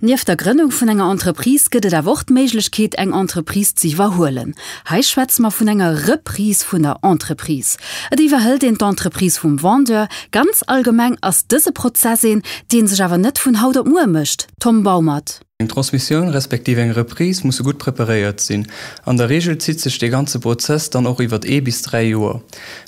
Nieft der Grënnung vun enger Entreprise gëtt et awer och d'Méiglechkeet, eng Entreprise ze iwwerhuelen. Hei schwätze mer vun enger Reprise vun der Entreprise. Et iwwerhëlt een d'Entreprise vum Vendeur. Ganz allgemeng ass dëse Prozess een, dee sech awer net vun haut op muer mécht. Tom Baumert. Eng Transmissioun respektiv eng Reprise musse gutt preparéiert sinn. An der Reegel zitt sech dee ganze Prozess dann och iwwert ee bis 3 Joer.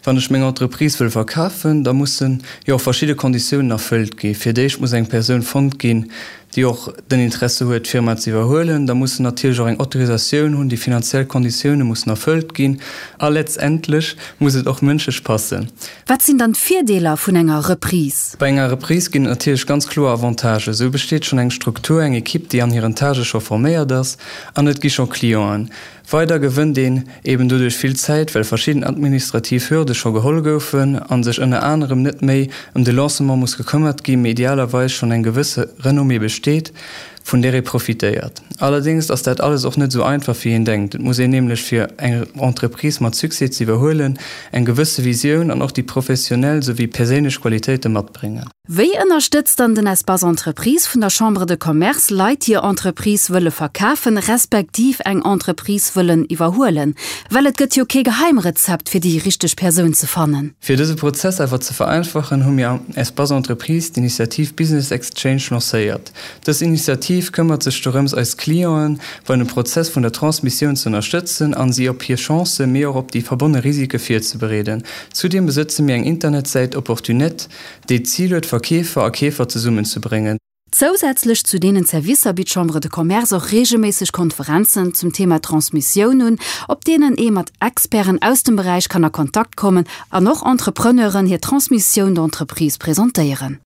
Wann ech meng Entreprise wëll verkafen, da mussen jo och verschidde Konditiounen erfëllt gi. Fir d'éischt muss eng Persoun fonnt ginn, déi och den Interesse huet, d'Firma ze iwwerhuelen. Da muss en natierlech och eng Autorisatioun hunn, déi finanziell Konditioune mussen erfëllt ginn a letztendlech muss et och mënschlech passen. Wat sinn dann d'Virdeeler vun enger Reprise? Bei enger Reprise ginn et natierlech ganz kloer Avantagen. Esou besteet schonn eng Struktur, eng Ekipp, déi an hiren Tâchë scho forméiert ass an et gi scho Clienten. Weider gewënnt een eben doduerch vill Zäit, well verschidden administrativ Hürde scho geholl goufen a sech ënner anerem net méi ëm de Lancement muss gekëmmert ginn, mee idealerweis schonn eng gewësse Renommée besteet, vun där ee profitéiert. Allerdéngs ass dat alles och net esou einfach wéi een denkt. Et muss een nämlech fir eng Entreprise mat Succès ze iwwerhuelen, eng gewësse Visioun an och déi professionell souwéi perséinlech Qualitéite matbréngen. Wéi ënnerstëtzt dann den Espace Entreprise vun der Chambre de Commerce Leit, déi hir Entreprise wëlle verkafen, respektiv eng Entreprise wëllen iwwerhuelen? Well et gëtt jo kee Geheimrezept, fir déi richteg Persoun ze fannen. Fir dëse Prozess awer ze vereinfachen, hu mir am Espace Entreprise d'Initiativ Business Exchange lancéiert. Dës Initiativ këmmert sech dorëms, eis Clienten bei dem Prozess vun der Transmissioun ze ënnerstëtzen an si op hir Chancen, mee och op déi verbonne Risike virzebereeden. Zudeem besëtze mir eng Internetsäit Opportunet, déi d'Zil huet, Verkeefer a Keefer zesummenzebréngen. Zousätzlech zu deenen Servicer bitt d'Chambre de Commerce och reegelméisseg Konferenzen zum Thema Transmissioun un, op deenen ee mat Experten aus dem Beräich kann a Kontakt kommen an och Entrepreneuren hir Transmission d'entreprise presentéieren.